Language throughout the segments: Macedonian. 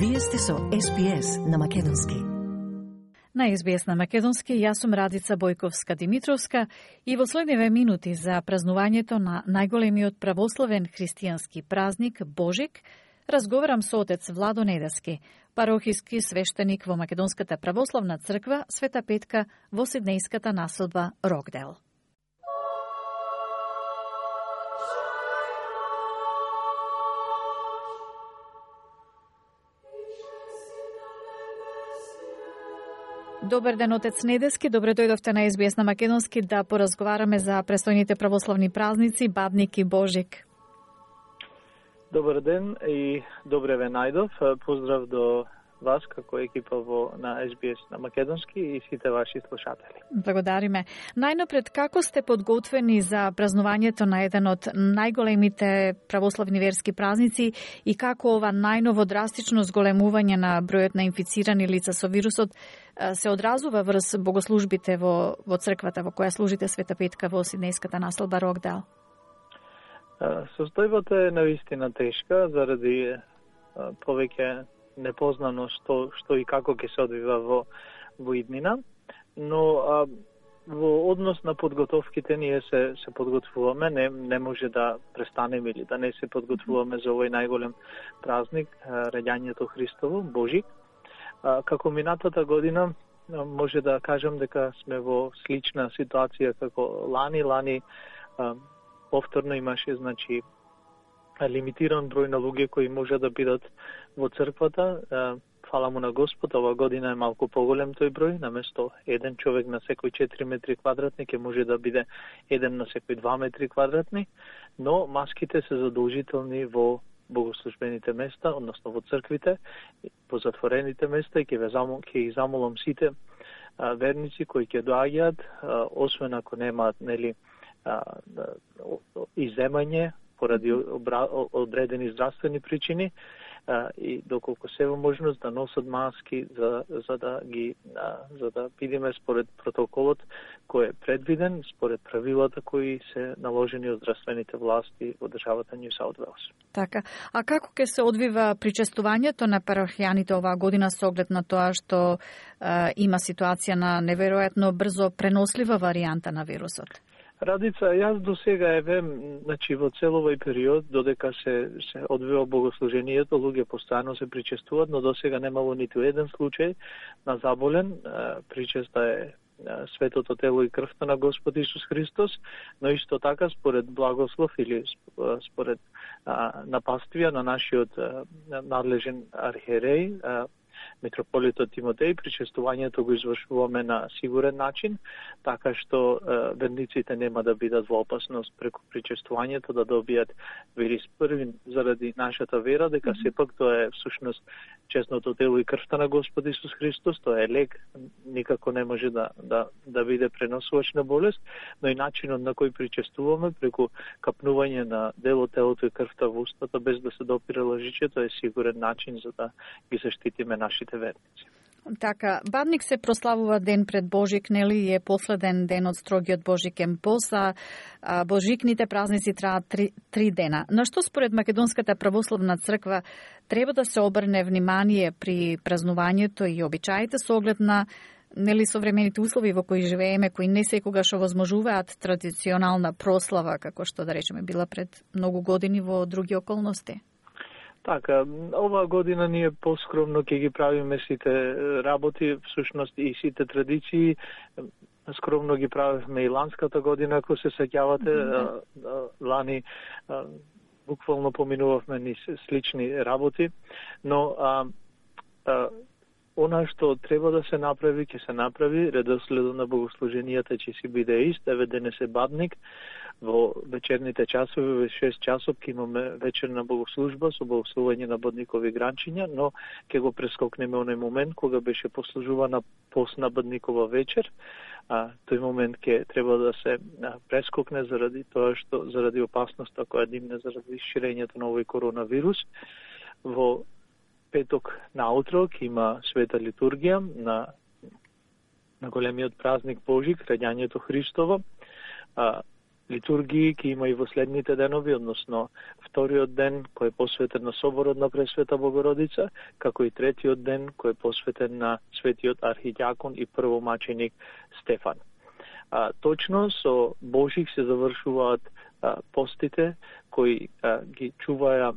Вие сте со SBS на Македонски. На SBS на Македонски, јас сум Радица Бојковска-Димитровска и во следниве минути за празнувањето на најголемиот православен христијански празник Божик, разговарам со отец Владо Недески, парохиски свештеник во Македонската православна црква Света Петка во Сиднејската населба Рокдел. Добар ден, отец Недески. Добре дојдовте на SBS на Македонски да поразговараме за престојните православни празници Бадник и Божик. Добар ден и добре ве најдов. Поздрав до вас како екипа на SBS на Македонски и сите ваши слушатели. Благодариме. Најнапред, како сте подготвени за празнувањето на еден од најголемите православни верски празници и како ова најново драстично зголемување на бројот на инфицирани лица со вирусот се одразува врз богослужбите во црквата во која служите Света Петка во Сиднејската населба Рокдел? Состојбата е навистина тешка заради повеќе непознано што и како ќе се одвива во иднина, но во однос на подготовките ние се подготвуваме, не може да престанеме или да не се подготвуваме за овој најголем празник, раѓањето Христово, Божик. Како минатата година може да кажам дека сме во слична ситуација како лани повторно имаше, значи, лимитиран број на луѓе кои може да бидат во црквата. Фала му на Господ, ова година е малку поголем тој број, наместо еден човек на секој 4 метри квадратни, ќе може да биде еден на секој 2 метри квадратни, но маските се задолжителни во богослужбените места, односно во црквите, по затворените места, и ќе ги замолам сите верници кои ќе доаѓаат, освен ако немаат, нели, изземање поради одредени здравствени причини, и доколку се во можност да носат маски за да бидеме според протоколот кој е предвиден, според правилата кои се наложени од здравствените власти во државата Нью Саут Велс. Така. А како ќе се одвива причестувањето на парохијаните оваа година со оглед на тоа што има ситуација на неверојатно брзо пренослива варијанта на вирусот? Радица, јас до сега значи во цел овој период, додека се одвива богослужението, луѓе постојано се причестуваат, но до сега немало ниту еден случај на заболен. Причеста е светото тело и крвта на Господ Исус Христос, но исто така според благослов или според напаствија на нашиот надлежен архиереј, митрополитот Тимотеј, причестувањето го извршуваме на сигурен начин, така што верниците нема да бидат во опасност преку причестувањето да добијат вирус први заради нашата вера, дека сепак тоа е всушност честното тело и крвта на Господ Исус Христос, тоа е лек, никако не може да биде преносувач на болест, но и начинот на кој причестуваме преку капнување на дело, телото и крвта во устата без да се допира лъжичето е сигурен начин за да ги заштитиме нашите верници. Така, Бадник се прославува ден пред Божик, нели е последен ден од строгиот Божикен пост, а Божикните празници траат 3 дена. На што според Македонската православна црква треба да се обрне внимание при празнувањето и обичаите со оглед на современите услови во кои живееме, кои не секогаш овозможуваат традиционална прослава, како што да речеме била пред многу години во други околности? Така, оваа година ние поскромно ќе ги правиме сите работи, всушност и сите традиции. Скромно ги правевме и ланската година, ако се сеќавате, лани буквално поминувавме ни слични работи, но она што треба да се направи, ќе се направи, редоследот на богослуженијата ќе си биде ист, еве денес е Бадник, во вечерните часови, во 6 часов ќе имаме вечерна богослужба со богослужување на Бадникови гранчиња, но ќе го прескокнеме оној момент кога беше послужувана постна Бадникова вечер. Тој момент ќе треба да се прескокне заради тоа што заради опасноста која димне заради ширењето на овој коронавирус. Во петок наутро ќе има света литургија на големиот празник Божик, раѓањето Христово. литургии ќе има и во следните денови, односно вториот ден кој е посветен на соборот на Пресвета Богородица, како и третиот ден кој е посветен на светиот архидиакон и првомаченик Стефан. Точно со Божик се завршуваат постите кои ги чуваја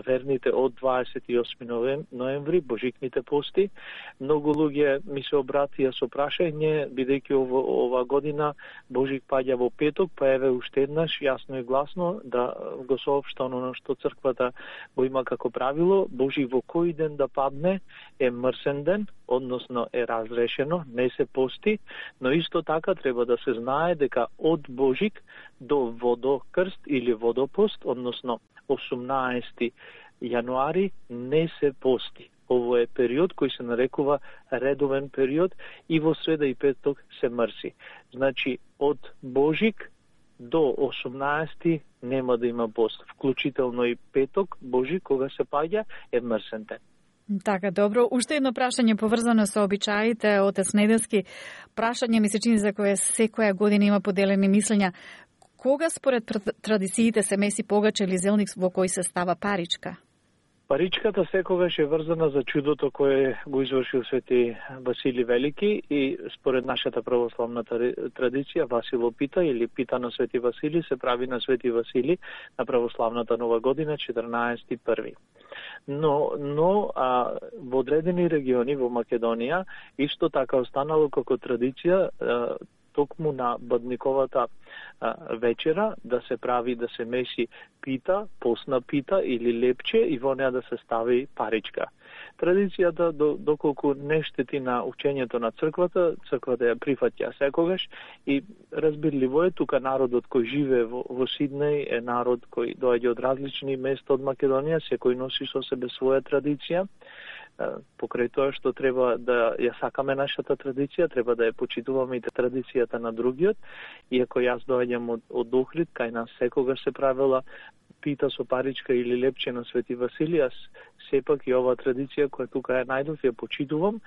верните од 28 ноември, Божикните пости. Многу луѓе ми се обратија со прашање, бидејќи ова година Божик паѓа во петок, па еве уште еднаш јасно и гласно да го соопшта оно што црквата го има како правило. Божик во кој ден да падне е мрсен ден, односно е разрешено, не се пости, но исто така треба да се знае дека од Божик до водокрст или водопост, односно 18 јануари, не се пости. Ово е период кој се нарекува редовен период и во среда и петок се мрси. Значи, од Божик до 18 нема да има пост. Вклучително и петок, Божик, кога се паѓа, е мрсен ден. Така, добро. Уште едно прашање поврзано со обичаите, отец Неделски. Прашање ми се чини за кое секоја година има поделени мислења. Кога според традициите се меси погач или зелник во кој се става паричка? Паричката секогаш е врзана за чудото кое го извршил свети Васили Велики и според нашата православна традиција Васило пита или пита на свети Васили се прави на свети Васили на православната нова година 14.1. Но во одредени региони во Македонија исто така останало како традиција токму на Бадниковата вечера да се прави, да се меси пита, посна пита или лепче и во неа да се стави паричка. Традицијата, доколку не штети на учењето на црквата, црквата ја прифаќа секогаш и разбирливо е, тука народот кој живее во Сиднеј е народ кој доаѓа од различни места од Македонија, секој носи со себе своја традиција. Покрај тоа што треба да ја сакаме нашата традиција, треба да ја почитуваме и традицијата на другиот. Иако јас доаѓам од Охрид, кај нас секогаш се правела пита со паричка или лепче на свети Васили, јас сепак и оваа традиција која тука ја најдов ја почитувам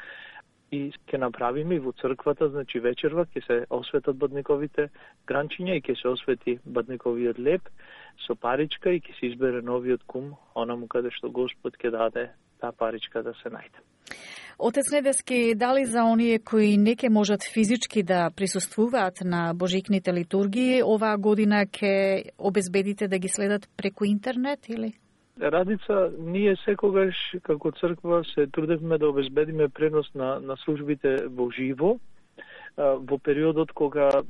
и ќе направиме и во црквата, значи вечерва ќе се осветат бадниковите гранчиња и ќе се освети бадниковиот леп со паричка и ќе се избере новиот кум, онаму каде што Господ ќе даде таа паричка да се најде. Отец Неделски, дали за оние кои не ќе можат физички да присуствуваат на божикните литургии, оваа година ќе обезбедите да ги следат преку интернет или? Радица, ние секогаш како црква се трудевме да обезбедиме пренос на службите во живо во периодот кога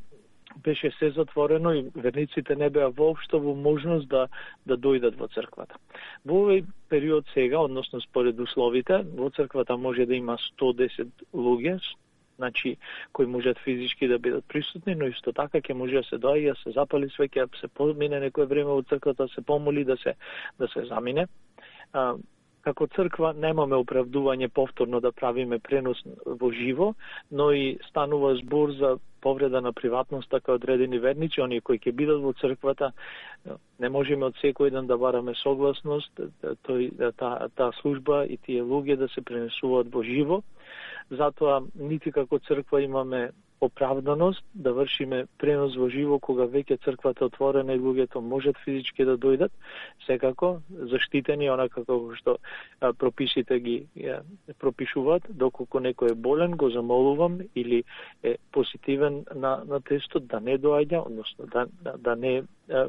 беше се затворено и верниците не беа воопшто во можност да дојдат во црквата. Во овој период сега, односно според условите, во црквата може да има 110 луѓе, значи кои можат физички да бидат присутни, но исто така ќе може да се доаѓа, се запали свеќе, се помине некое време во црквата, се помоли да се замине. Како црква немаме оправдување повторно да правиме пренос во живо, но и станува збор за повреда на приватноста кај одредени верници, оние кои ќе бидат во црквата, не можеме од секој ден да бараме согласност, таа служба и тие луѓе да се пренесуваат во живо. Затоа нити како црква имаме оправданост да вршиме пренос во живо кога веќе црквата отворена и луѓето можат физички да дојдат, секако заштитени онака како што прописите ги пропишуваат. Доколку некој е болен, го замолувам или е позитивен на тестот да не доаѓа, односно да не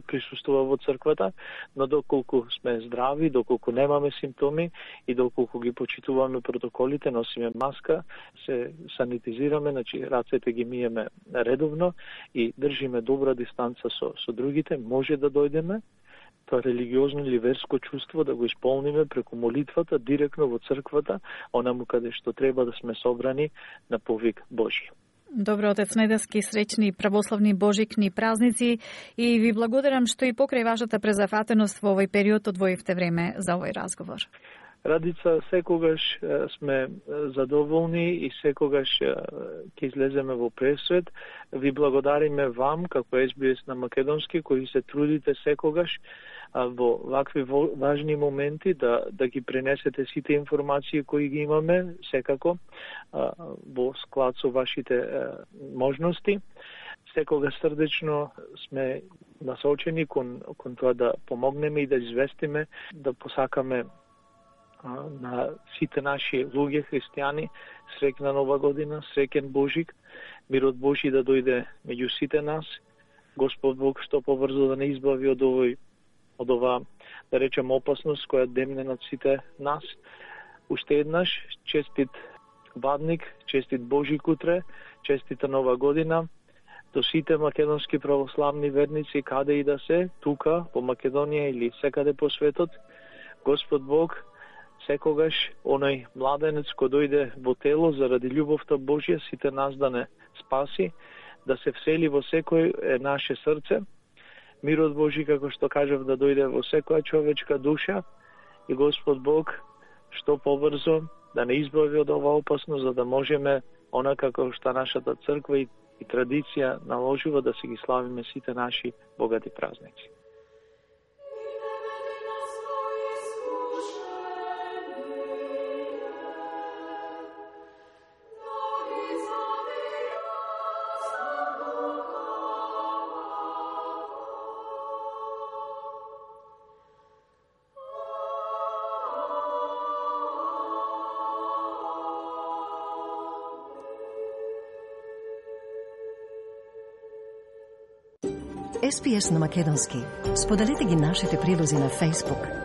присуствува во црквата, но доколку сме здрави, доколку немаме симптоми и доколку ги почитуваме протоколите, носиме маска, се санитизираме, значи рацете ги миеме редовно и држиме добра дистанца со другите, може да дојдеме тоа религиозно или верско чувство да го исполниме преку молитвата директно во црквата, онаму каде што треба да сме собрани на повик Божи. Добро, отец Неделски, среќни православни божикни празници и ви благодарам што и покрај вашата презафатеност во овој период одвоивте време за овој разговор. Радица, секогаш сме задоволни и секогаш ќе излеземе во пресвет. Ви благодариме вам, како SBS на македонски, кои се трудите секогаш во вакви важни моменти да ги пренесете сите информации кои ги имаме, секако во склад со вашите можности. секога срдечно сме насочени кон тоа да помогнеме и да известиме, да посакаме на сите наши луѓе христијани среќна нова година, среќен Божик, мирот Божи да дојде меѓу сите нас. Господ Бог што побрзо да не избави од ова, да речем, опасност која демне над сите нас. Уште еднаш честит Бадник, честит Божик утре, честита нова година до сите македонски православни верници каде и да се, тука по Македонија или секаде по светот. Господ Бог секогаш оној младенец кој дојде во тело заради љубовта Божја сите нас да не спаси, да се всели во секој наше срце. Мирот Божи, како што кажав, да дојде во секоја човечка душа и Господ Бог што побрзо да не избави од ова опасност, за да можеме онака како што нашата црква и традиција наложува да се ги славиме сите наши богати празници. SPS на македонски. Споделете ги нашите прилози на Facebook.